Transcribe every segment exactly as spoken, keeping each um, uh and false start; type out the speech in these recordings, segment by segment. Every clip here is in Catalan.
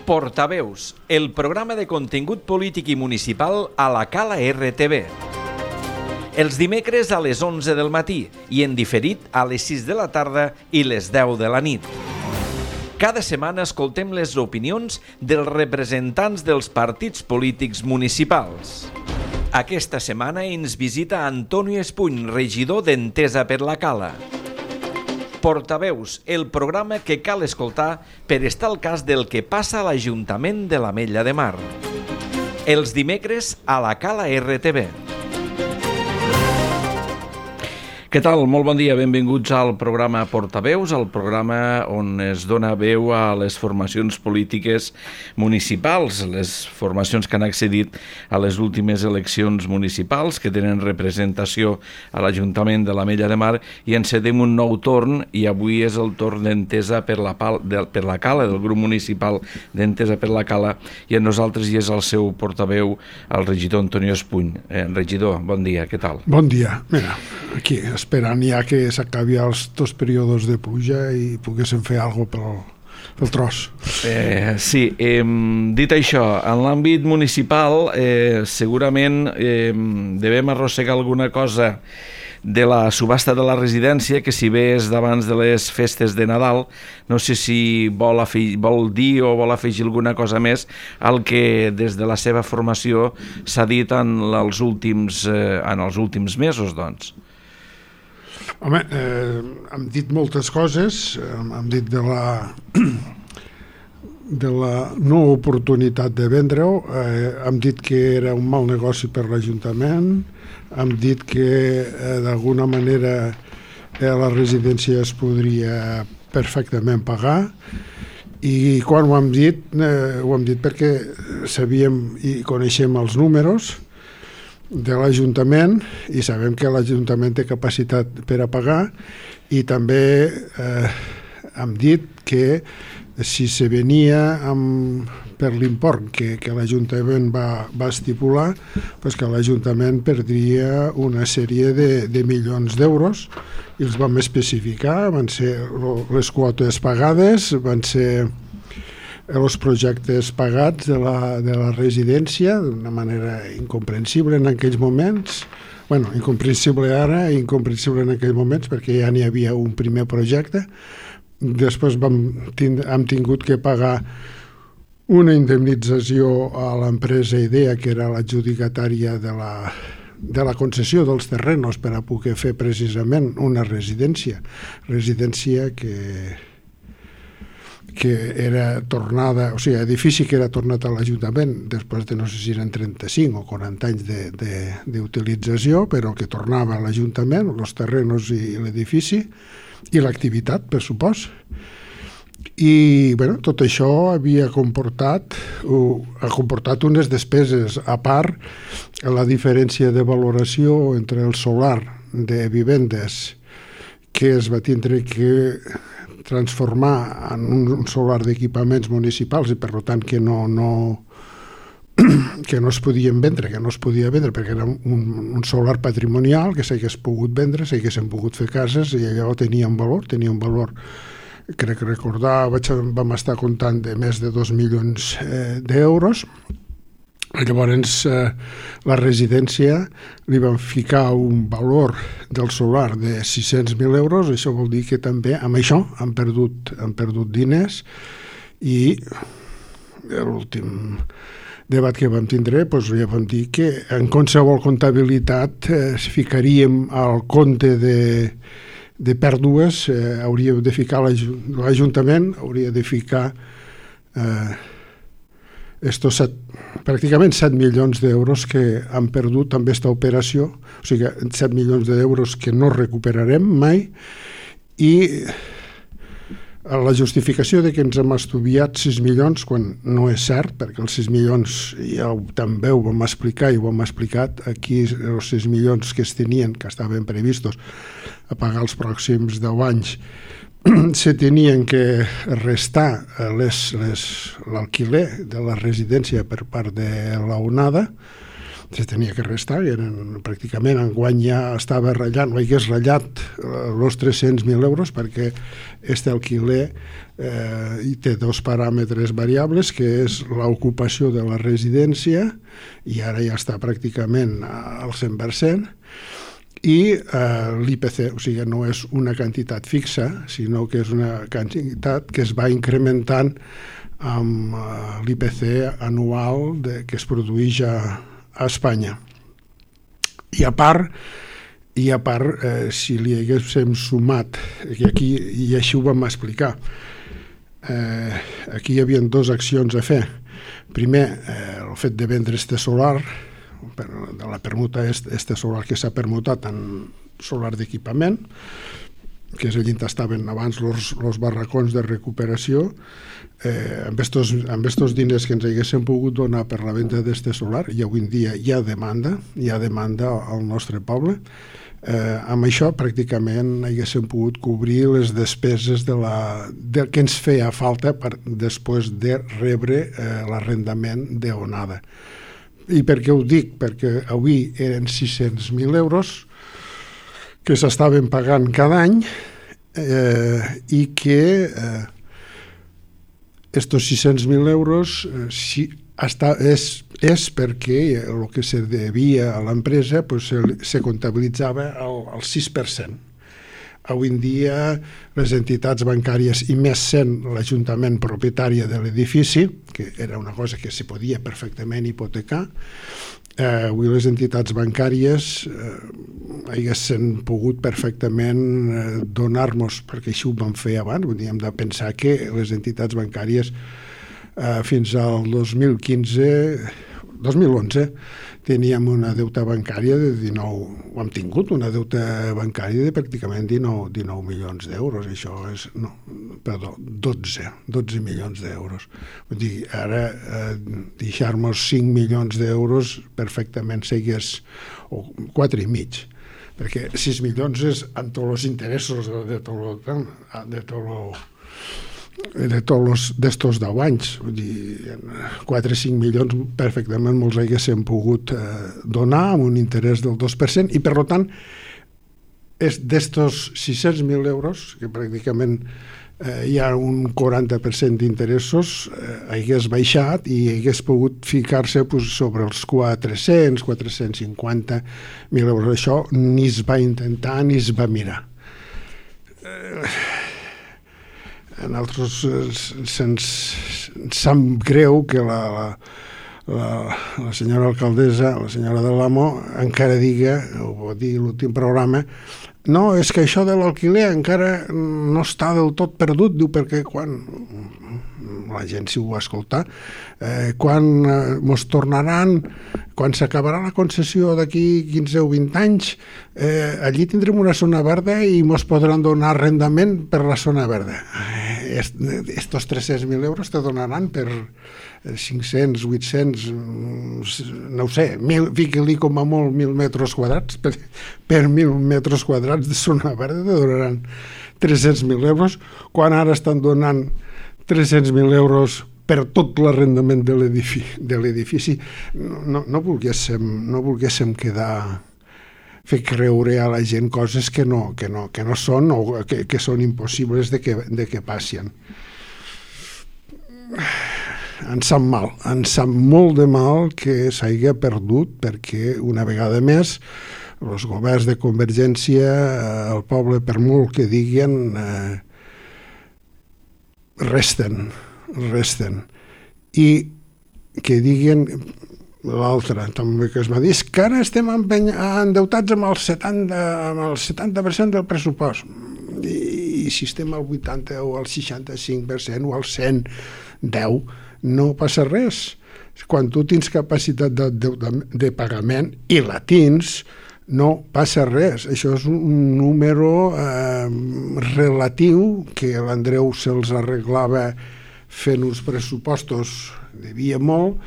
Portaveus, el programa de contingut polític i municipal a la Cala R T V. Els dimecres a les onze del matí i en diferit a les sis de la tarda i les deu de la nit. Cada setmana escoltem les opinions dels representants dels partits polítics municipals. Aquesta setmana ens visita Antonio Espuny, regidor d'Entesa per la Cala. Portaveus, el programa que cal escoltar per estar al cas del que passa a l'Ajuntament de l'Ametlla de Mar. Els dimecres a la Cala R T V. Què tal? Molt bon dia, benvinguts al programa Portaveus, el programa on es dona veu a les formacions polítiques municipals, les formacions que han accedit a les últimes eleccions municipals, que tenen representació a l'Ajuntament de l'Ametlla de Mar, i encedem un nou torn, i avui és el torn d'Entesa per la, Pal, de, per la Cala, del grup municipal d'Entesa per la Cala, i amb nosaltres hi és el seu portaveu, el regidor Antonio Espuny. Eh, regidor, bon dia, què tal? Bon dia, mira, aquí esperant ja que s'acabi els dos períodes de pluja i poguéssim fer alguna cosa pel, pel tros. Eh, sí, eh, dit això, en l'àmbit municipal eh, segurament eh, devem arrossegar alguna cosa de la subhasta de la residència, que si bé és d'abans de les festes de Nadal, no sé si vol, afegir, vol dir o vol afegir alguna cosa més al que des de la seva formació s'ha dit en els últims, eh, en els últims mesos, doncs. Home, eh, hem dit moltes coses, hem dit de la de la no oportunitat de vendre-ho, eh, hem dit que era un mal negoci per l'Ajuntament, hem dit que eh, d'alguna manera eh, la residència es podria perfectament pagar, i quan ho hem dit, eh, ho hem dit perquè sabíem i coneixem els números de l'Ajuntament i sabem que l'Ajuntament té capacitat per a pagar, i també eh, hem dit que si se venia amb, per l'import que, que l'Ajuntament va, va estipular, pues que l'Ajuntament perdria una sèrie de, de milions d'euros, i els vam especificar, van ser les quotes pagades, van ser els projectes pagats de la, de la residència d'una manera incomprensible en aquells moments, bueno, incomprensible ara i incomprensible en aquells moments perquè ja n'hi havia un primer projecte. Després vam tind- hem tingut que pagar una indemnització a l'empresa IDEA, que era l'adjudicatària de la, de la concessió dels terrenos per a poder fer precisament una residència, residència que que era tornada, o sigui, edifici que era tornat a l'Ajuntament després de no sé si eren trenta-cinc o quaranta anys de, de, d'utilització, però que tornava a l'Ajuntament, els terrenos i l'edifici, i l'activitat, per supost. I bueno, tot això havia comportat, uh, ha comportat unes despeses, a part la diferència de valoració entre el solar de vivendes que es va tindre que transformar en un solar d'equipaments municipals i per tant que no, no, que no es podien vendre, que no es podia vendre perquè era un, un solar patrimonial que s'hagués pogut vendre, s'haguessin pogut fer cases, i allò tenia un valor, tenia un valor, crec que recordar, vaig, vam estar comptant de més de dos milions eh, d'euros. Llavors eh, la residència li van ficar un valor del solar de sis-cents mil euros, això vol dir que també amb això han perdut, han perdut diners, i l'últim debat que vam tindre doncs ja vam dir que en qualsevol comptabilitat eh, ficaríem al compte de, de pèrdues, eh, hauríem de ficar l'Ajuntament, hauria de ficar eh, estos set, pràcticament set milions d'euros que han perdut amb aquesta operació, o sigui, set milions d'euros que no recuperarem mai, i la justificació de que ens hem estudiat sis milions, quan no és cert, perquè els sis milions ja ho, també ho vam explicar i ho hem explicat, aquí els sis milions que es tenien, que estaven previstos a pagar els pròxims deu anys, se tenien que restar les, les, l'alquiler de la residència per part de la onada, se tenia que restar, eren, pràcticament enguany ja estava ratllant, o hagués ratllat els tres-cents mil euros, perquè este alquiler eh, hi té dos paràmetres variables, que és l'ocupació de la residència, i ara ja està pràcticament al cent per cent, i eh, l'I P C, o sigui, no és una quantitat fixa, sinó que és una quantitat que es va incrementant amb uh, l'I P C anual de, que es produeix a, a Espanya. I a part, i a part eh, si li haguéssim sumat, i aquí i així ho vam explicar, eh, aquí hi havia dues accions a fer. Primer, eh, el fet de vendre este solar, de la permuta este, este solar que s'ha permutat en solar d'equipament, que és allà on estaven abans els barracons de recuperació, eh, amb estos, amb estos diners que ens haguessin pogut donar per la venda d'este solar, i avui en dia hi ha demanda, hi ha demanda al nostre poble, eh, amb això pràcticament haguessin pogut cobrir les despeses de la, de, que ens feia falta per, després de rebre eh, l'arrendament d'onada. I per què ho dic? Perquè avui eren sis-cents mil euros que s'estaven pagant cada any eh, i que eh, estos sis-cents mil euros eh, si, hasta, és, és perquè el que se devia a l'empresa pues, se, se comptabilitzava al, al sis per cent. Avui en dia les entitats bancàries, i més sent l'Ajuntament propietària de l'edifici, que era una cosa que se podia perfectament hipotecar, eh, avui les entitats bancàries eh, haguessin pogut perfectament eh, donar-nos, perquè així ho vam fer abans, vull dir, hem de pensar que les entitats bancàries eh, fins al dos mil quinze, dos mil onze, teníem una deuta bancària de dinou, ho hem tingut, una deuta bancària de pràcticament dinou, dinou milions d'euros, això és, no, perdó, dotze, dotze milions d'euros. Vull dir, ara eh, deixar-nos cinc milions d'euros perfectament segués, o quatre i mig, perquè sis milions és amb tots els interessos de tot de tot de tots d'estos deu anys, vull dir, quatre o cinc milions perfectament molts haguessin pogut eh, donar amb un interès del dos per cent, i per tant d'estos sis-cents mil euros, que pràcticament eh, hi ha un quaranta per cent d'interessos, eh, hagués baixat i hagués pogut ficar-se pues, sobre els quatre-cents, quatre-cents cinquanta mil euros. Això ni es va intentar ni es va mirar. Eh, A nosaltres se'ns sap greu que la, la, la, la senyora alcaldessa, la senyora de l'Amo, encara diga, ho va dir l'últim programa, no, és que això de l'alquiler encara no està del tot perdut, diu, perquè quan la gent si ho va escoltar, eh, quan mos tornaran, quan s'acabarà la concessió d'aquí quinze o vint anys, eh, allí tindrem una zona verda i mos podran donar arrendament per la zona verda. Eh, estos tres-cents mil euros te donaran per cinc-cents, vuit-cents, no ho sé, fiqui-li com a molt mil metres quadrats, per, per mil metres quadrats de zona verda te donaran tres-cents mil euros, quan ara estan donant tres-cents mil euros per tot l'arrendament de l'edifici. No, no, no, volguéssim, no volguéssim quedar, fer creure a la gent coses que no, que no, que no són o que, que són impossibles de que, de que passin. Ens sap mal, ens sap molt de mal que s'hagi perdut, perquè una vegada més els governs de Convergència, el poble, per molt que diguen, eh, resten, resten. I que diguen l'altre, també que es va dir, és que ara estem endeutats amb el setanta, amb el setanta per cent del pressupost. I, i si estem al vuitanta o al seixanta-cinc per cent o al cent deu, no passa res. Quan tu tens capacitat de, de, de pagament i la tens, no passa res. Això és un número eh, relatiu que l'Andreu se'ls arreglava fent uns pressupostos, devia molt,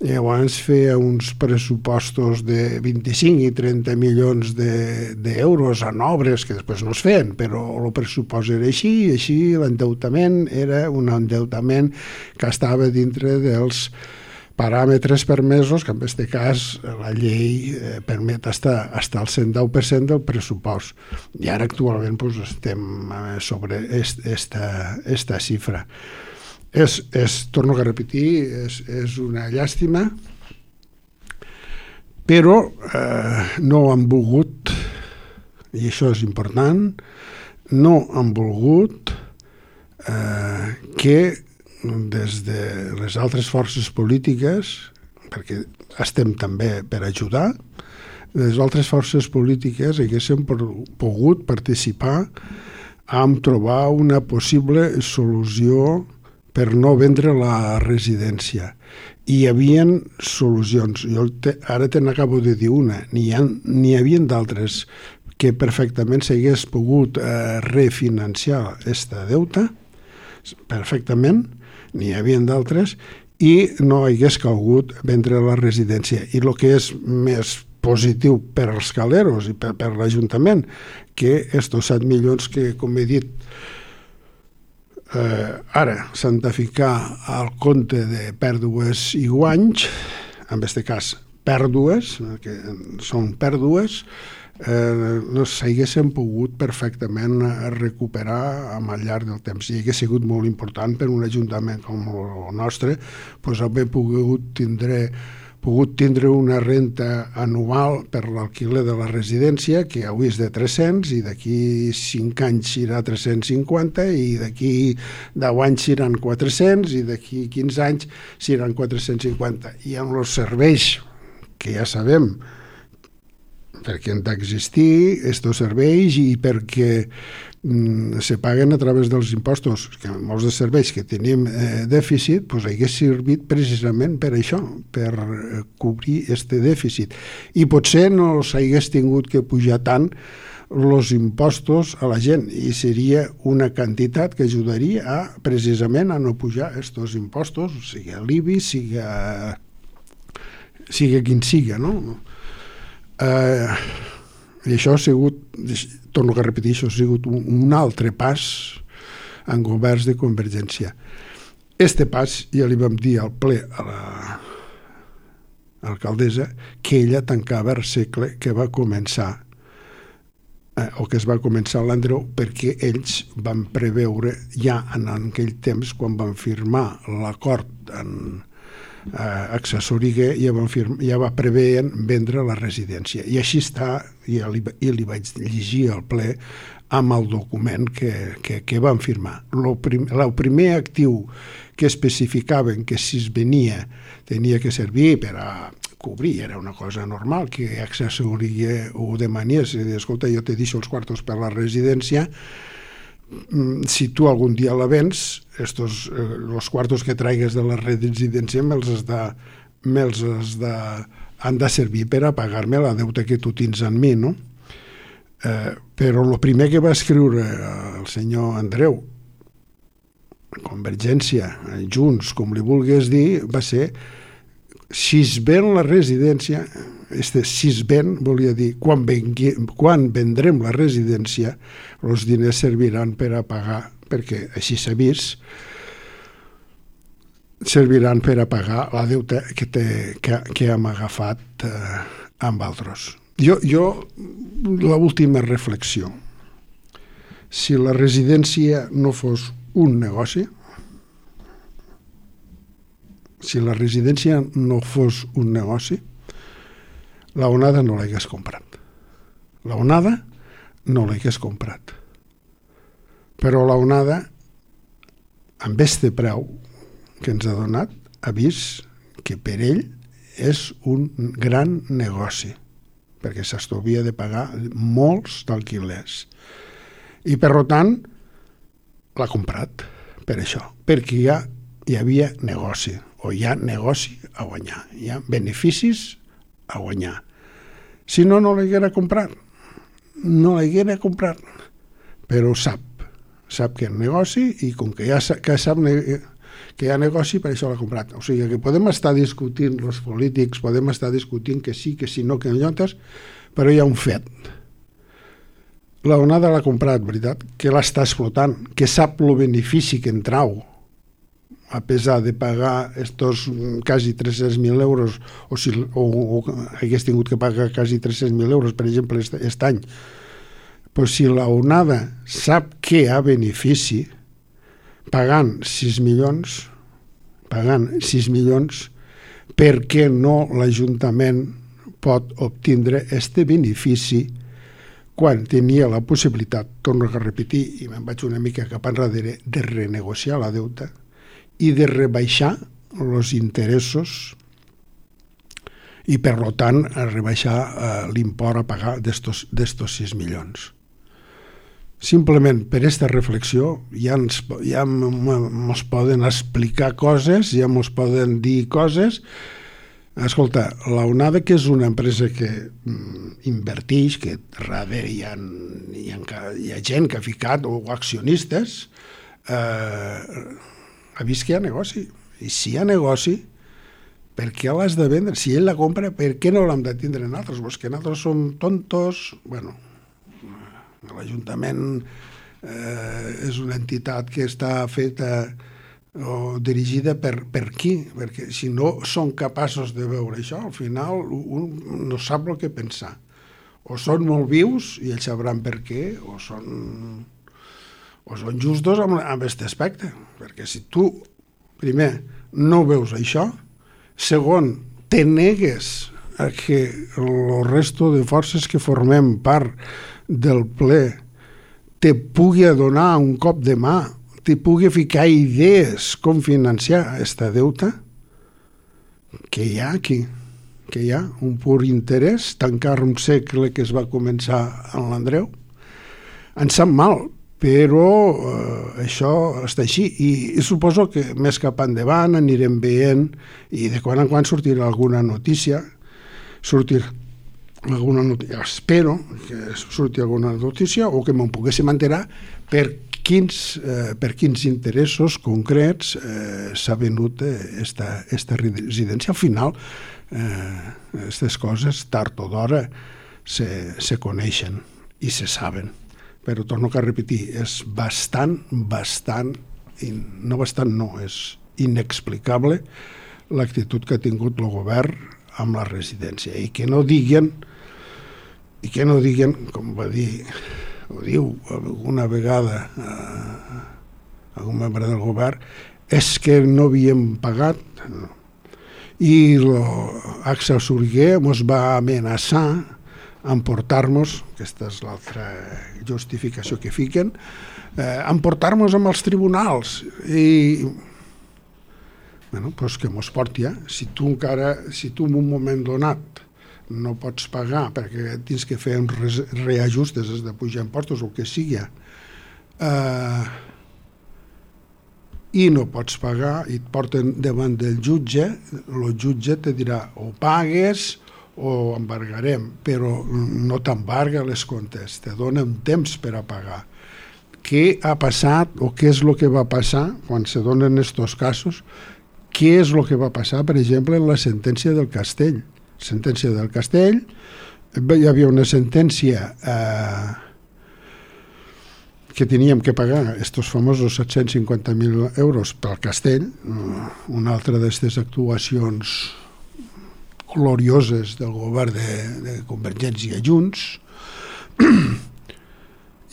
i llavors feia uns pressupostos de vint-i-cinc i trenta milions d'euros en obres que després no es feien, però el pressupost era així, i així l'endeutament era un endeutament que estava dintre dels paràmetres permesos, que en aquest cas la llei eh, permet estar hasta el cent deu per cent del pressupost. I ara actualment pues, estem sobre esta, esta xifra. És, és, torno a repetir, és, és una llàstima, però eh, no han volgut, i això és important, no han volgut eh, que des de les altres forces polítiques, perquè estem també per ajudar, les altres forces polítiques haguessin pogut participar en trobar una possible solució per no vendre la residència. I hi havia solucions. Jo te, ara te n'acabo de dir una. N'hi hi havia d'altres que perfectament s'hagués pogut eh, refinanciar aquesta deuta, perfectament, n'hi havia d'altres, i no hagués calgut vendre la residència. I el que és més positiu per als caleros i per, per l'Ajuntament, que estos set milions que, com he dit, eh, ara s'han de ficar al compte de pèrdues i guanys, en aquest cas pèrdues, que són pèrdues, eh, no s'haguessin pogut perfectament recuperar al llarg del temps. I hauria sigut molt important per un ajuntament com el nostre pues, haver pogut tindre pogut tindre una renta anual per l'alquiler de la residència que avui és de tres-cents i d'aquí cinc anys serà tres-cents cinquanta i d'aquí deu anys seran quatre-cents i d'aquí quinze anys seran quatre-cents cinquanta. I amb els serveis que ja sabem perquè han d'existir aquests serveis i perquè mm, se paguen a través dels impostos, que molts dels serveis que tenim eh, dèficit, doncs hagués servit precisament per això, per eh, cobrir aquest dèficit. I potser no s'hagués tingut que pujar tant els impostos a la gent i seria una quantitat que ajudaria a, precisament a no pujar aquests impostos, sigui l'I B I, sigui, sigui quin sigui, no? Uh, i això ha sigut, torno a repetir, això ha sigut un, un altre pas en governs de Convergència. Este pas ja li vam dir al ple a la alcaldessa que ella tancava el segle que va començar eh, o que es va començar l'Andreu, perquè ells van preveure ja en aquell temps, quan van firmar l'acord en Uh, accessori ja, van firma, ja va preveien vendre la residència i així està, i li, i li vaig llegir al ple amb el document que, que, que van firmar. El prim, primer actiu que especificaven que si es venia tenia que servir per a cobrir, era una cosa normal que accessori ho demanies i dir, escolta, jo te deixo els quartos per la residència, si tu algun dia la vens, estos, eh, los cuartos que traigues de la residència me'ls has de, me'ls has de, han de servir per a pagar-me la deuta que tu tens en mi, no? Eh, però el primer que va escriure el senyor Andreu, Convergència, Junts, com li vulguis dir, va ser si es ven la residència, este si es ven volia dir quan, vengui, quan vendrem la residència els diners serviran per a pagar, perquè així s'ha vist, serviran per a pagar la deuta que, té, que, que hem agafat eh, amb altres. Jo, jo l'última reflexió, si la residència no fos un negoci, si la residència no fos un negoci, la onada no l'hagués comprat. La onada no l'hagués comprat. Però la onada, amb este preu que ens ha donat, ha vist que per ell és un gran negoci, perquè s'estalvia de pagar molts d'alquilers. I, per tant, l'ha comprat per això, perquè ja hi havia negoci, o hi ha negoci a guanyar, hi ha beneficis a guanyar. Si no, no l'haguera comprat. No l'haguera comprat. Però sap, sap que hi ha negoci i com que ja que sap que hi ha negoci, per això l'ha comprat. O sigui que podem estar discutint, els polítics, podem estar discutint que sí, que sí, no, que notes, però hi ha un fet. La onada l'ha comprat, veritat, que l'està explotant, que sap el benefici que en trau a pesar de pagar estos quasi tres-cents mil euros, o si o, o hagués tingut que pagar quasi tres-cents mil euros, per exemple, aquest any, però si la onada sap que hi ha benefici, pagant sis milions, pagant sis milions, per què no l'Ajuntament pot obtindre este benefici quan tenia la possibilitat, torno a repetir, i me'n vaig una mica cap enrere, de renegociar la deuta i de rebaixar els interessos i, per tant, a rebaixar eh, l'import a pagar d'estos sis milions. Simplement per aquesta reflexió ja ens ja ens poden explicar coses, ja ens poden dir coses. Escolta, la Onada, que és una empresa que mm, inverteix, que darrere hi ha, hi, ha, hi ha gent que ha ficat, o accionistes, eh, ha vist que hi ha negoci. I si hi ha negoci, per què l'has de vendre? Si ell la compra, per què no l'hem de tindre nosaltres? Pues que nosaltres som tontos. Bueno, l'Ajuntament eh, és una entitat que està feta o dirigida per, per qui? Perquè si no són capaços de veure això, al final un no sap el que pensar. O són molt vius i ells sabran per què, o són, o són justos amb aquest aspecte. Perquè si tu, primer, no veus això, segon, te negues a que el resto de forces que formem part del ple te pugui donar un cop de mà, te pugui ficar idees com financiar aquesta deuta, que hi ha aquí, que hi ha un pur interès, tancar un segle que es va començar en l'Andreu. Ens sap mal, però eh, això està així, i, i suposo que més cap endavant anirem veient, i de quan en quan sortirà alguna notícia, sortirà alguna notícia, espero que surti alguna notícia o que me'n poguéssim enterar per quins, eh, per quins interessos concrets eh, s'ha venut esta, esta residència. Al final, aquestes eh, coses, tard o d'hora, se, se coneixen i se saben. Però torno a repetir, és bastant, bastant, no bastant no, és inexplicable l'actitud que ha tingut el govern amb la residència. I que no diguen, i que no diguen, com va dir, ho diu alguna vegada eh, algun membre del govern, és que no havíem pagat. I l'Axa Sorguer ens va amenaçar emportar-nos, aquesta és l'altra justificació que fiquen, eh, emportar-nos amb els tribunals. I bueno, doncs que mos porti, eh? Si tu encara, si tu en un moment donat no pots pagar perquè tens que fer uns reajustes, has de pujar impostos o el que sigui, eh, i no pots pagar i et porten davant del jutge, el jutge te dirà o pagues o embargarem, però no t'embarga les comptes, te dona un temps per a pagar. Què ha passat o què és el que va passar quan se donen aquests casos? Què és el que va passar, per exemple, en la sentència del Castell? Sentència del Castell, hi havia una sentència eh, que teníem que pagar aquests famosos set-cents cinquanta mil euros pel Castell, una altra d'aquestes actuacions glorioses del govern de, de Convergència i Junts,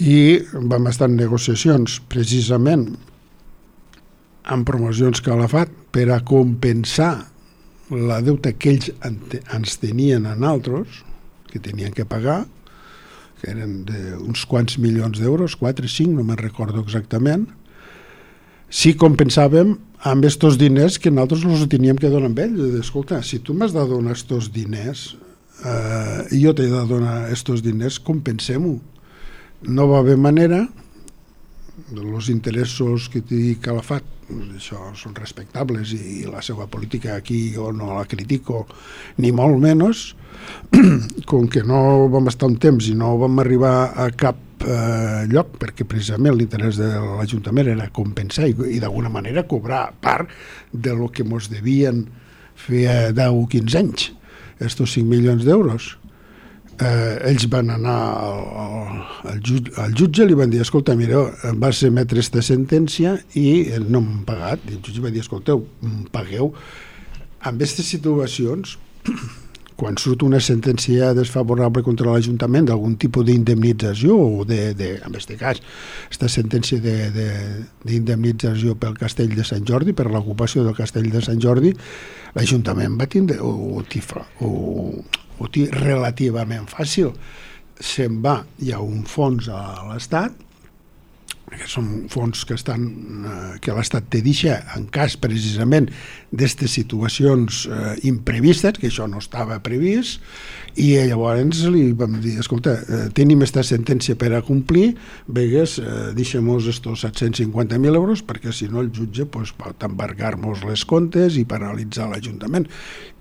i vam estar en negociacions precisament amb Promocions Calafat per a compensar la deuta que ells ens tenien a nosaltres, que tenien que pagar, que eren d'uns quants milions d'euros, quatre, cinc, no me'n recordo exactament, si compensàvem amb aquests diners que nosaltres els teníem que donar amb ells. Escolta, si tu m'has de donar aquests diners eh, i jo t'he de donar aquests diners, compensem-ho. No va haver manera, els interessos que t'he Calafat, això són respectables i la seva política aquí jo no la critico ni molt menys, com que no vam estar un temps i no vam arribar a cap eh, lloc, perquè precisament l'interès de l'Ajuntament era compensar i, i d'alguna manera cobrar part de lo que ens devien fer deu o quinze anys, estos cinc milions d'euros. eh, ells van anar al, al, al, jutge, al jutge, li van dir, escolta, mireu, vas emetre aquesta sentència i no m'han pagat. I el jutge va dir, escolteu, pagueu. En aquestes situacions, quan surt una sentència desfavorable contra l'Ajuntament d'algun tipus d'indemnització o de, de, en aquest cas, aquesta sentència d'indemnització pel Castell de Sant Jordi, per l'ocupació del Castell de Sant Jordi, l'Ajuntament va tindre o, o, o, ho té relativament fàcil. Se'n va, hi ha un fons a l'Estat, que són fons que estan que l'Estat té deixa en cas precisament d'aquestes situacions eh, imprevistes, que això no estava previst, i llavors li vam dir, escolta, eh, tenim aquesta sentència per a complir, vegues, eh, deixem-nos estos set-cents cinquanta mil euros, perquè si no el jutge pues, pot embargar-nos les comptes i paralitzar l'Ajuntament.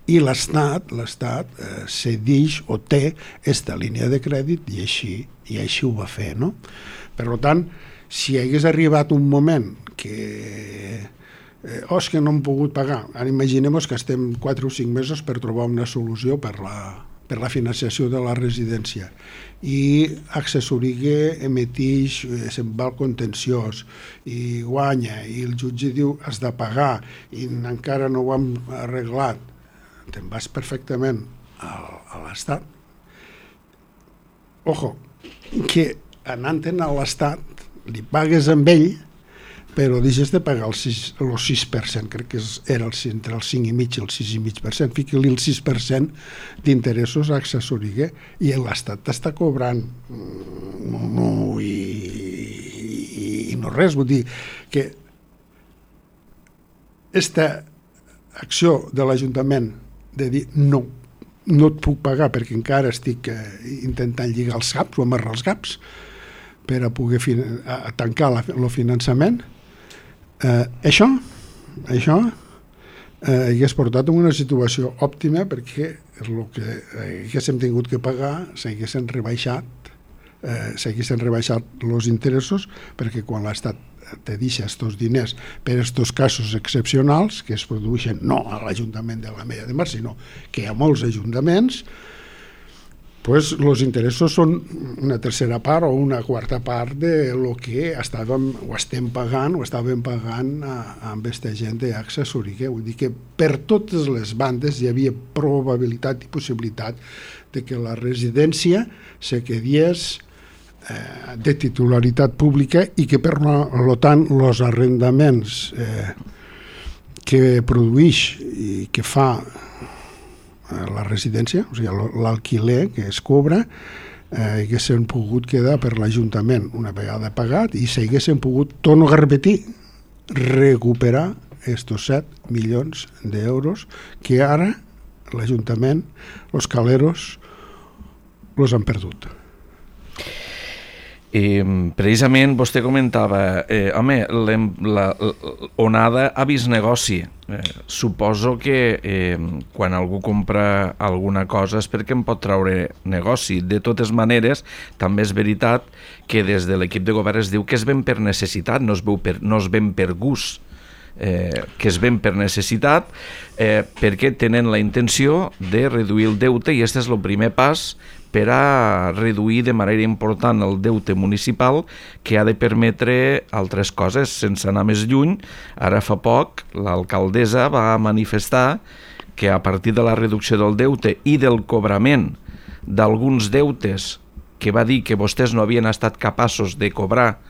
I l'Estat l'Estat eh, cedeix o té aquesta línia de crèdit i així, i així ho va fer, no? Per tant, si hagués arribat un moment que eh, oh, és que no hem pogut pagar, ara imaginem-nos que estem quatre o cinc mesos per trobar una solució per la, per la financiació de la residència i Accessorigue emetix, eh, se'n va al contenciós i guanya i el jutge diu has de pagar i encara no ho hem arreglat, te'n vas perfectament a, a l'Estat. Ojo, que anant-te'n a l'Estat li pagues amb ell, però deixes de pagar el sis, el sis per cent, crec que era el, entre el cinc i mig i el sis i mig per cent, fica-li el sis per cent d'interessos a Accessorigue i l'Estat t'està cobrant no, no, i, i, i no res, vull dir que aquesta acció de l'Ajuntament de dir no, no et puc pagar perquè encara estic eh, intentant lligar els caps o amarrar els caps per a poder fin a tancar el finançament, eh, això, això eh, hagués portat a una situació òptima perquè el que haguéssim tingut que pagar s'haguessin rebaixat, eh, s'haguessin rebaixat els interessos perquè quan l'Estat te deixa aquests diners per aquests casos excepcionals que es produeixen no a l'Ajuntament de l'Ametlla de Mar, sinó que hi ha molts ajuntaments, pues els interessos són una tercera part o una quarta part de lo que estàvem o estem pagant o estàvem pagant a, a amb aquesta gent d'Accessorigue. Vull dir que per totes les bandes hi havia probabilitat i possibilitat de que la residència se quedés eh, de titularitat pública i que per lo tant els arrendaments eh, que produeix i que fa la residència, o sigui, l'alquiler que es cobra, eh, haguessin pogut quedar per l'Ajuntament una vegada pagat i s'haguessin pogut, torno a repetir, recuperar estos set milions d'euros que ara l'Ajuntament, els caleros, els han perdut. Eh, precisament vostè comentava eh, home, l'onada ha vist negoci. Eh, suposo que eh, quan algú compra alguna cosa és perquè en pot traure negoci. De totes maneres, també és veritat que des de l'equip de govern es diu que es ven per necessitat, no es, veu per, no es ven per gust, eh, que es ven per necessitat eh, perquè tenen la intenció de reduir el deute i aquest és el primer pas per a reduir de manera important el deute municipal que ha de permetre altres coses. Sense anar més lluny, ara fa poc l'alcaldessa va manifestar que a partir de la reducció del deute i del cobrament d'alguns deutes que va dir que vostès no havien estat capaços de cobrar,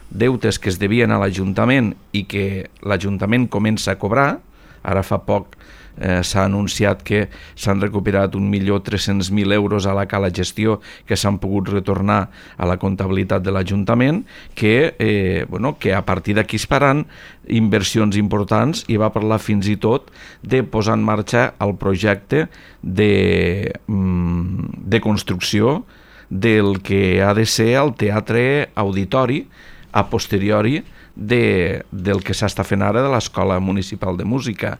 deutes que es devien a l'Ajuntament i que l'Ajuntament comença a cobrar, ara fa poc Eh, s'ha anunciat que s'han recuperat un milió tres-cents mil euros a la cala gestió que s'han pogut retornar a la comptabilitat de l'Ajuntament, que, eh, bueno, que a partir d'aquí es faran inversions importants i va parlar fins i tot de posar en marxa el projecte de, de construcció del que ha de ser el teatre auditori a posteriori de, del que s'està fent ara de l'Escola Municipal de Música,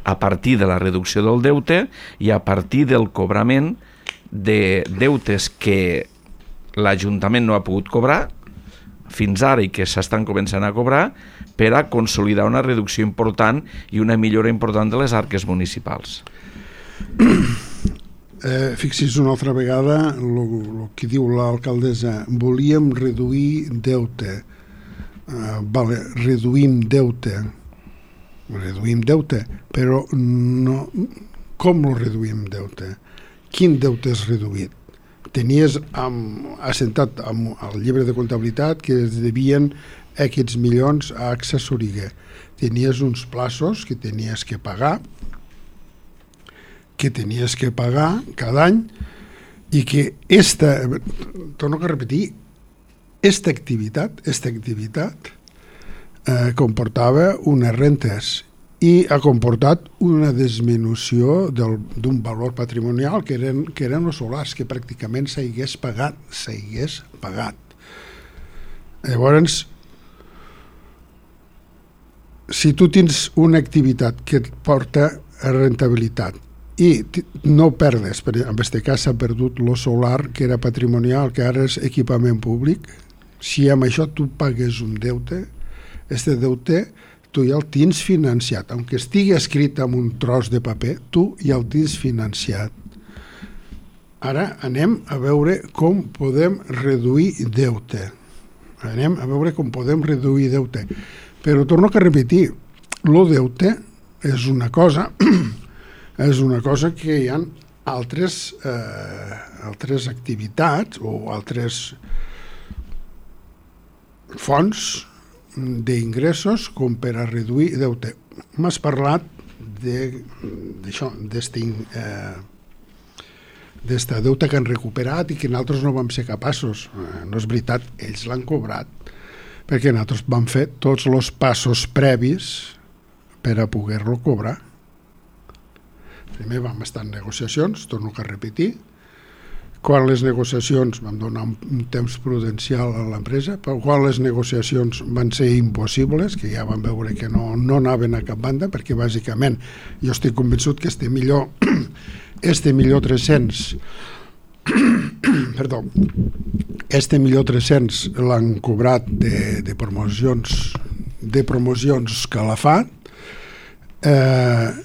a partir de la reducció del deute i a partir del cobrament de deutes que l'Ajuntament no ha pogut cobrar fins ara i que s'estan començant a cobrar per a consolidar una reducció important i una millora important de les arques municipals. Eh, fixi's una altra vegada el que diu l'alcaldessa, volíem reduir deute. Eh, vale, reduïm deute, reduïm deute, però no, com el reduïm deute? Quin deute és reduït? Tenies amb, assentat amb el llibre de comptabilitat que es devien aquests milions a AXA Soriguer. Tenies uns plaços que tenies que pagar, que tenies que pagar cada any i que esta, torno a repetir, esta activitat, esta activitat eh, comportava unes rentes i ha comportat una disminució d'un valor patrimonial que eren, que eren els solars, que pràcticament s'hagués pagat, s'hagués pagat. Llavors, si tu tens una activitat que et porta a rentabilitat i no perdes, en aquest cas s'ha perdut el solar, que era patrimonial, que ara és equipament públic, si amb això tu pagues un deute, aquest deute tu ja el tens financiat, aunque estigui escrit en un tros de paper, tu ja el tens financiat. Ara anem a veure com podem reduir deute. Anem a veure com podem reduir deute. Però torno a repetir, el deute és una cosa és una cosa que hi ha altres, eh, altres activitats o altres fonts d'ingressos com per a reduir deute. M'has parlat d'això, d'aquest eh, d'esta deute que han recuperat i que nosaltres no vam ser capaços. Eh, no és veritat, ells l'han cobrat, perquè nosaltres vam fer tots els passos previs per a poder-lo cobrar. Primer vam estar en negociacions, torno a repetir. Quan les negociacions vam donar un temps prudencial a l'empresa, però quan les negociacions van ser impossibles, que ja vam veure que no, no anaven a cap banda, perquè bàsicament jo estic convençut que este millor, este millor tres-cents perdó, este millor tres-cents l'han cobrat de, de promocions de promocions Calafat. Eh,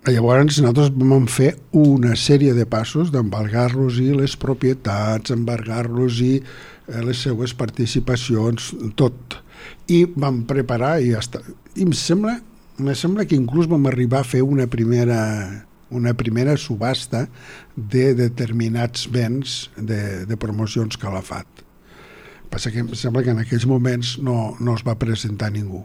Llavors nosaltres vam fer una sèrie de passos d'embargar-los i les propietats, embargar-los i les seues participacions, tot. I vam preparar i ja està. I em sembla, em sembla que inclús vam arribar a fer una primera, una primera subhasta de determinats béns de, de promocions Calafat. Passa que em sembla que en aquells moments no, no es va presentar ningú.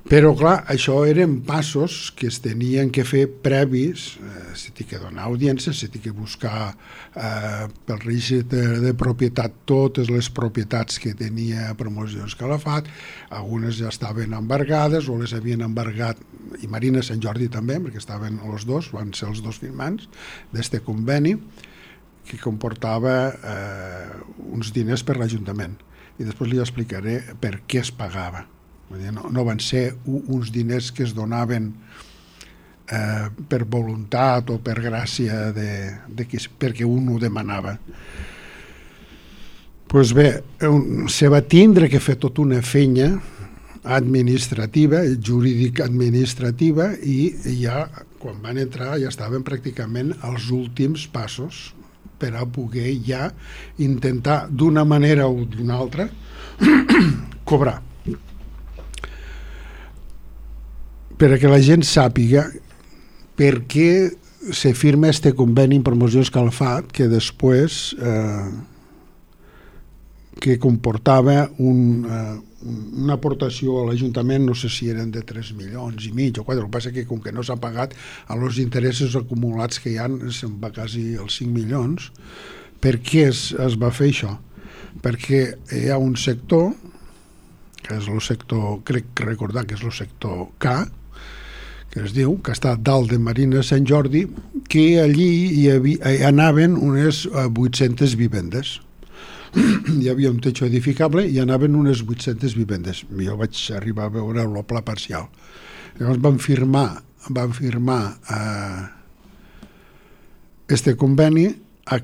Però, clar, això eren passos que es tenien que fer previs, eh, s'ha de donar audiència, s'ha de buscar eh, pel registre de, de propietat totes les propietats que tenia Promocions Calafat, algunes ja estaven embargades o les havien embargat, i Marina Sant Jordi també, perquè estaven els dos, van ser els dos firmants d'este conveni, que comportava eh, uns diners per l'Ajuntament. I després li explicaré per què es pagava. No, no van ser uns diners que es donaven eh, per voluntat o per gràcia de, de qui, perquè un ho demanava. Pues bé, un, se va tindre que fer tota una feina administrativa, jurídica administrativa, i ja quan van entrar ja estaven pràcticament als últims passos per a poder ja intentar d'una manera o d'una altra cobrar. Per a que la gent sàpiga per què se firma este conveni en Promocions Calafat, que després eh, que comportava un, eh, una aportació a l'Ajuntament, no sé si eren de tres milions i mig o quatre, el que passa que com que no s'ha pagat a els interessos acumulats que hi ha, se'n va quasi els cinc milions. Per què es, es va fer això? Perquè hi ha un sector, que és el sector, crec recordar que és el sector K, que es diu, que està dalt de Marina Sant Jordi, que allí hi, havia, hi anaven unes vuit-centes vivendes. Hi havia un techo edificable i anaven unes vuit-centes vivendes. Jo vaig arribar a veure el pla parcial. Llavors van firmar, van firmar eh, este conveni a,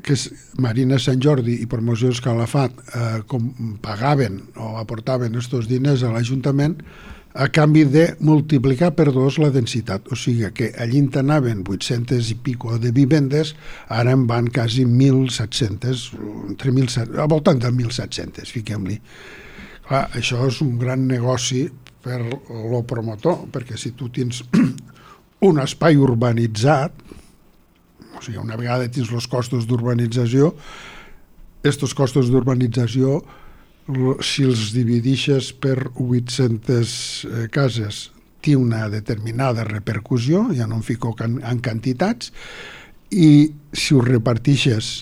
que és Marina Sant Jordi i Promocions Calafat eh, com pagaven o aportaven aquests diners a l'Ajuntament a canvi de multiplicar per dos la densitat. O sigui que allí anaven vuit-centes i pico de vivendes, ara en van quasi mil set-centes, entre mil set cents, al voltant de mil set-centes, fiquem-li. Clar, això és un gran negoci per lo promotor, perquè si tu tens un espai urbanitzat, o sigui, una vegada tens els costos d'urbanització, aquests costos d'urbanització, si els dividixes per vuit-centes cases, té una determinada repercussió, ja no em fico en quantitats, i si ho repartixes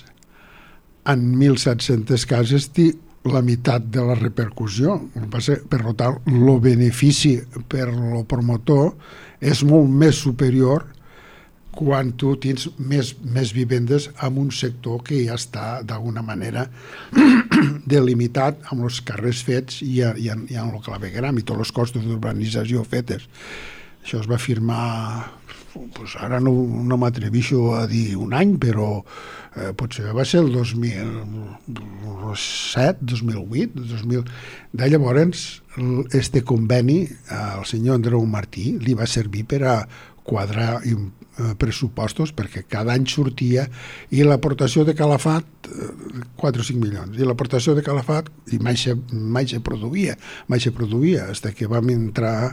en mil set-centes cases, té la meitat de la repercussió. Per tant, el benefici per al promotor és molt més superior quan tu tens més, més vivendes en un sector que ja està d'alguna manera delimitat amb els carrers fets i, i, en, i en el clavegram i tots els costos d'urbanització fetes. Això es va firmar, pues ara no, no m'atrevixo a dir un any, però eh, potser va ser el dos mil set, dos mil vuit, dos mil... De llavors, este conveni al senyor Andreu Martí li va servir per a quadrar pressupostos, perquè cada any sortia, i l'aportació de Calafat quatre o cinc milions, i l'aportació de Calafat i mai se, mai se produïa mai se produïa, fins que vam entrar a,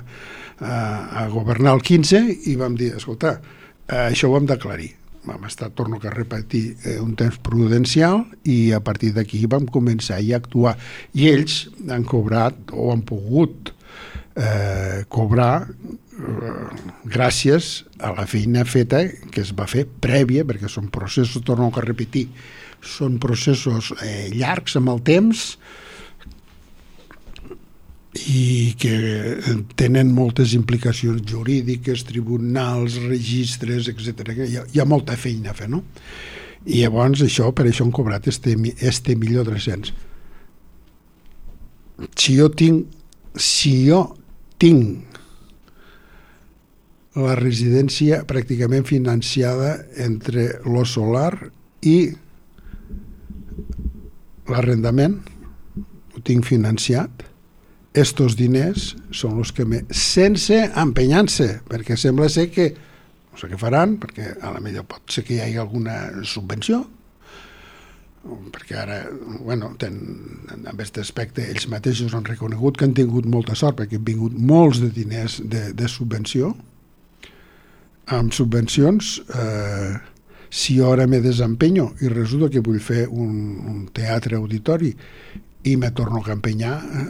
a governar el quinze i vam dir, escolta, això ho hem d'aclarir. Vam estar, torno a repetir, un temps prudencial, i a partir d'aquí vam començar a actuar, i ells han cobrat o han pogut eh, cobrar gràcies a la feina feta que es va fer prèvia, perquè són processos, torno a repetir, són processos eh, llargs amb el temps i que tenen moltes implicacions jurídiques, tribunals, registres, etcètera. Hi ha, hi ha molta feina a fer, no? I llavors això, per això han cobrat este, este milió tres-cents. Si jo tinc, si jo tinc la residència pràcticament financiada entre lo solar i l'arrendament, ho tinc financiat, estos diners són els que me... sense empenyant-se, perquè sembla ser que, no sé què faran, perquè a la millor pot ser que hi hagi alguna subvenció, perquè ara, bueno, ten, en aquest aspecte ells mateixos han reconegut que han tingut molta sort, perquè han vingut molts de diners de, de subvenció. Amb subvencions, eh, si jo ara me desempenyo i resulta que vull fer un, un teatre auditori i me torno a empenyar, eh,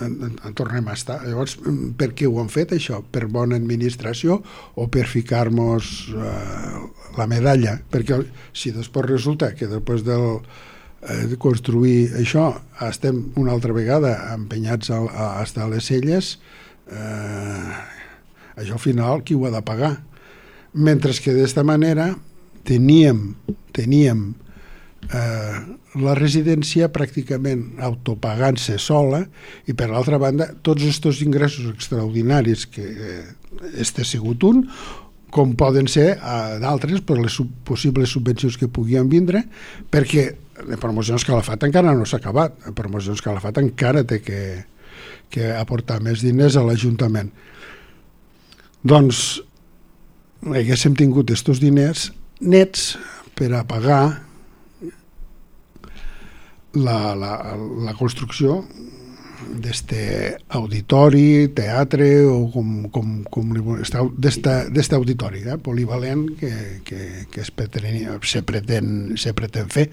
en, en tornem a estar. Llavors, per què ho han fet, això? Per bona administració o per ficar-nos eh, la medalla? Perquè si després resulta que després del, eh, de construir això estem una altra vegada empenyats a, a estar a les celles, eh, això al final qui ho ha de pagar? Mentre que d'esta manera teníem, teníem eh, la residència pràcticament autopagant-se sola, i per l'altra banda tots aquests ingressos extraordinaris que eh, este ha sigut un, com poden ser eh, d'altres per les sub, possibles subvencions que puguin vindre, perquè de Promocions Calafat encara no s'ha acabat. Promocions Calafat encara té que, que aportar més diners a l'Ajuntament. Doncs haguéssim tingut aquests diners nets per a pagar la, la, la construcció d'este auditori, teatre o com, com, com d'este auditori eh, polivalent que, que, que es pretén, se, pretén, se pretén fer,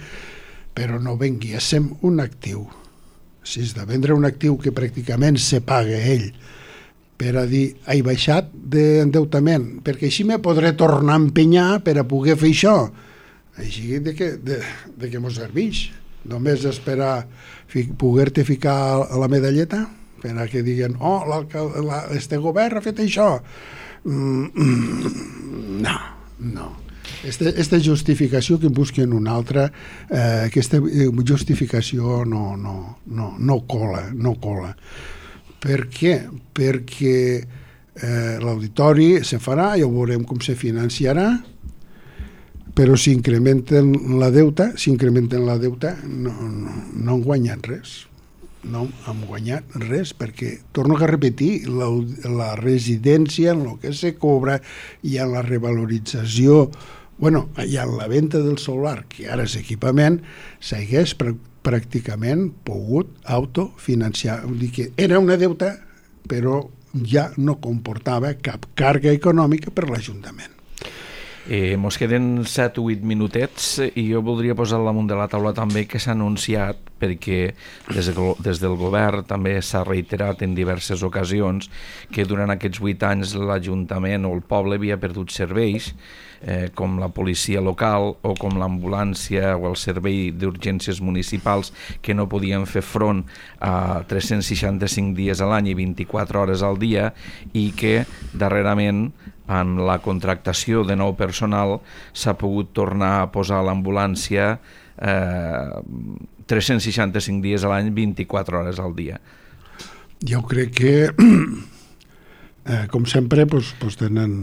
però no venguéssim un actiu. Si és de vendre un actiu que pràcticament se paga ell per a dir, he baixat d'endeutament, perquè així me podré tornar a empenyar per a poder fer això. Així de que, de, de que mos serveix. Només esperar fi, poder-te ficar a la medalleta per a que diguen, oh, este govern ha fet això. Mm, no, no. Este, esta justificació que busquen una altra, eh, aquesta justificació no, no, no, no cola, no cola. Per què? Perquè eh, l'auditori se farà, ja veurem com se financiarà, però si incrementen la deuta, si incrementen la deuta no, no, no han guanyat res. No han guanyat res, perquè, torno a repetir, la, la residència, en el que se cobra, i en la revalorització, bueno, i en la venda del solar, que ara és equipament, s'hagués pràcticament pogut autofinanciar. Vull dir que era una deuta, però ja no comportava cap càrrega econòmica per l'Ajuntament. Eh, mos queden set o vuit minutets i jo voldria posar al damunt de la taula també que s'ha anunciat, perquè des, de, des del govern també s'ha reiterat en diverses ocasions que durant aquests vuit anys l'Ajuntament o el poble havia perdut serveis eh, com la policia local o com l'ambulància o el servei d'urgències municipals, que no podien fer front a tres-cents seixanta-cinc dies a l'any i vint-i-quatre hores al dia, i que darrerament en la contractació de nou personal s'ha pogut tornar a posar l'ambulància eh, tres-cents seixanta-cinc dies a l'any, vint-i-quatre hores al dia. Jo crec que, eh, com sempre, doncs, doncs tenen...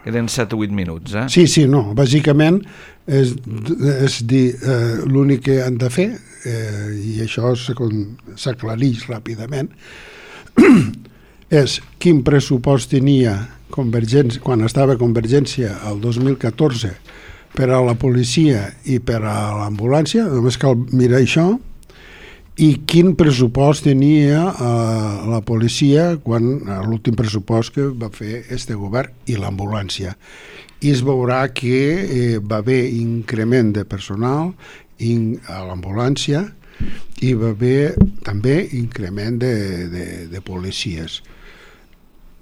Queden set o vuit minuts, eh? Sí, sí, no. Bàsicament és, és dir, eh, l'únic que han de fer, eh, i això s'aclareix ràpidament, és quin pressupost tenia Convergència, quan estava Convergència el dos mil catorze, per a la policia i per a l'ambulància, només cal mirar això, i quin pressupost tenia eh, la policia quan l'últim pressupost que va fer este govern i l'ambulància. I es veurà que eh, va haver increment de personal in, a l'ambulància i va haver també increment de, de, de policies.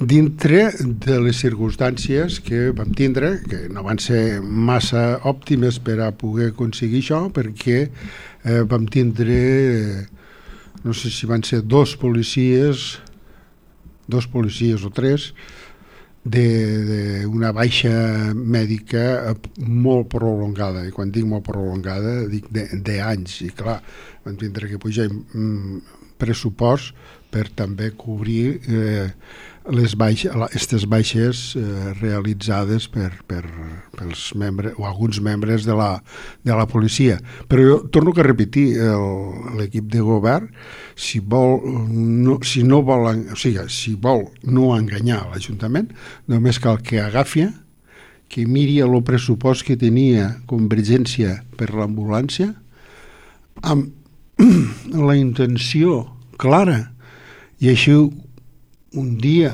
Dintre de les circumstàncies que vam tindre, que no van ser massa òptimes per a poder aconseguir això, perquè eh, vam tindre, eh, no sé si van ser dos policies, dos policies o tres, d'una baixa mèdica molt prolongada, i quan dic molt prolongada dic d'anys, i clar, vam tindre que pujar mm, pressupost per també cobrir eh, les baixes, aquestes baixes eh, realitzades per, per, pels membres o alguns membres de la, de la policia. Però jo torno a repetir, l'equip de govern, si vol no, si no vol, o sigui, si vol no enganyar l'Ajuntament, només cal que agafi, que miri el pressupost que tenia Convergència per l'ambulància, amb la intenció clara, i així un dia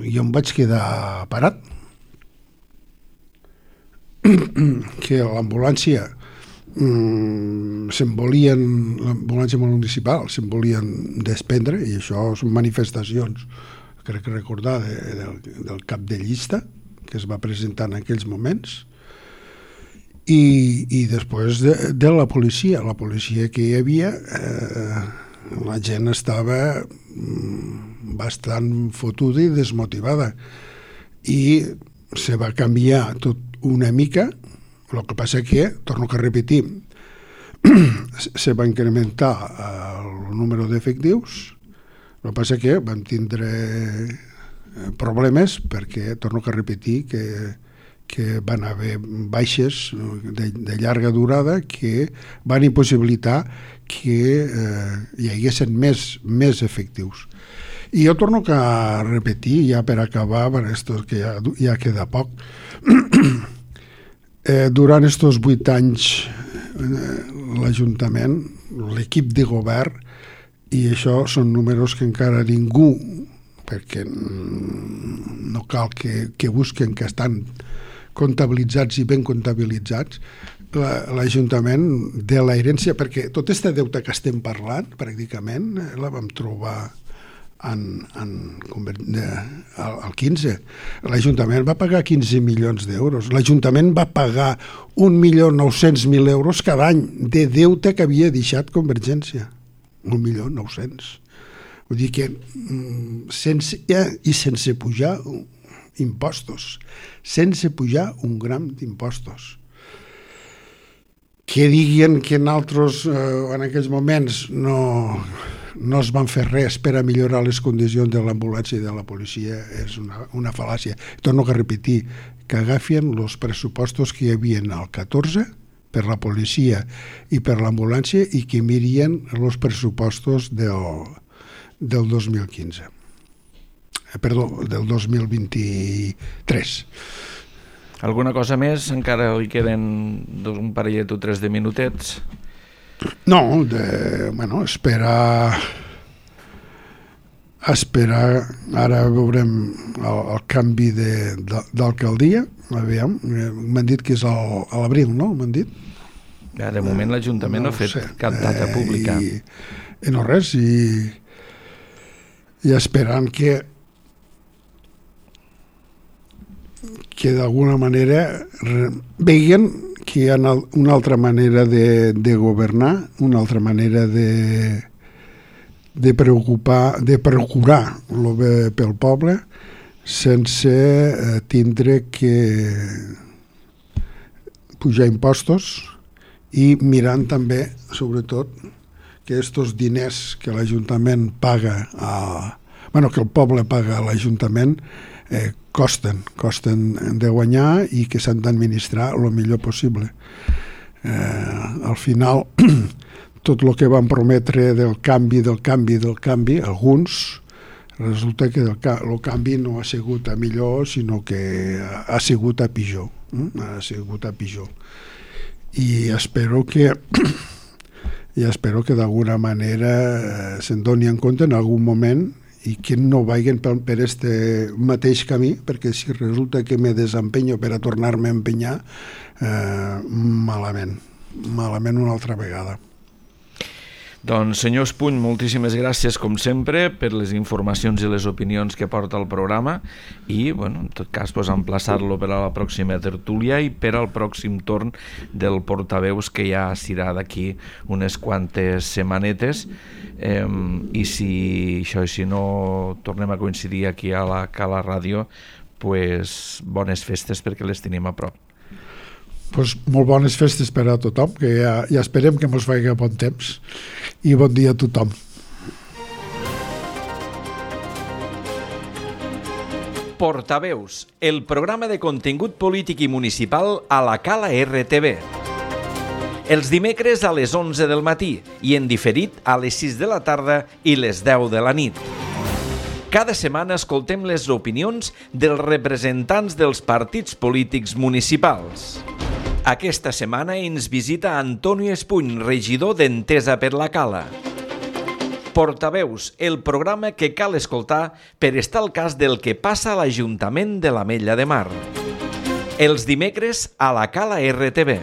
jo em vaig quedar parat, que l'ambulància mm, se'n volien, l'ambulància municipal se'n volien desprendre, i això són manifestacions, crec que recordar, de, del, del cap de llista que es va presentar en aquells moments, i, i després de, de la policia, la policia que hi havia, eh, la gent estava bastant fotuda i desmotivada, i se va canviar tot una mica. El que passa que, torno a repetir, se va incrementar el número d'efectius. El que passa que vam tindre problemes perquè, torno a repetir, que que van haver baixes de, de llarga durada que van impossibilitar que eh, hi haguessin més, més efectius. I jo torno a repetir, ja per acabar, per esto que ja, ja queda poc, eh, durant estos vuit anys eh, l'Ajuntament, l'equip de govern, i això són números que encara ningú, perquè no cal que, que busquen que estan comptabilitzats i ben comptabilitzats, l'Ajuntament de l'herència, perquè tota aquesta deuta que estem parlant, pràcticament, la vam trobar en, en, al quinze. L'Ajuntament va pagar quinze milions d'euros. L'Ajuntament va pagar un milió nou-cents mil euros cada any de deute que havia deixat Convergència. Un milió nou-cents. Vull dir que sense, i sense pujar impostos, sense pujar un gram d'impostos. Que diguen que en altres, eh, en aquells moments, no, no es van fer res per a millorar les condicions de l'ambulància i de la policia és una, una fal·làcia. Torno a repetir, que agafien els pressupostos que hi havia al catorze per la policia i per l'ambulància i que mirien els pressupostos del, del dos mil quinze. Perdó, del dos mil vint-i-tres. Alguna cosa més? Encara li queden un parellet o tres de minutets? No, de, bueno, espera... Esperar, ara veurem el, el canvi d'alcaldia, aviam, m'han dit que és al, a l'abril, no? M'han dit? Ja, de moment l'Ajuntament no, no ha fet sé. cap data eh, pública. I, i no res, i, i esperant que que d'alguna manera veien que hi ha una altra manera de, de governar, una altra manera de de preocupar, de procurar el bé pel poble sense eh, tindre que pujar impostos i mirant també, sobretot, que aquests diners que l'Ajuntament paga a, bueno, que el poble paga a l'Ajuntament eh, costen, costen de guanyar i que s'han d'administrar el millor possible. Eh, al final tot el que van prometre del canvi, del canvi, del canvi, alguns, resulta que el, el canvi no ha sigut a millor, sinó que ha sigut a pitjor. Eh? Ha sigut a pitjor. I espero que i espero que d'alguna manera eh, se'n doni en compte en algun moment i que no vagin per, per este mateix camí, perquè si resulta que me desempenyo per a tornar-me a empenyar, eh, malament, malament una altra vegada. Doncs, senyor Espuny, moltíssimes gràcies, com sempre, per les informacions i les opinions que porta el programa i, bueno, en tot cas, pues, emplaçar-lo per a la pròxima tertúlia i per al pròxim torn del portaveus, que ja serà d'aquí unes quantes setmanetes. Eh, I si això, si no tornem a coincidir aquí a la Cala Ràdio, pues, bones festes perquè les tenim a prop. Pues molt bones festes per a tothom, que ja, ja esperem que mos faci bon temps i bon dia a tothom. Portaveus, el programa de contingut polític i municipal a la Cala R T V. Els dimecres a les onze del matí i en diferit a les sis de la tarda i les deu de la nit. Cada setmana escoltem les opinions dels representants dels partits polítics municipals. Aquesta setmana ens visita Antonio Espuny, regidor d'Entesa per la Cala. Portaveus, el programa que cal escoltar per estar al cas del que passa a l'Ajuntament de l'Ametlla de Mar. Els dimecres a la Cala R T V.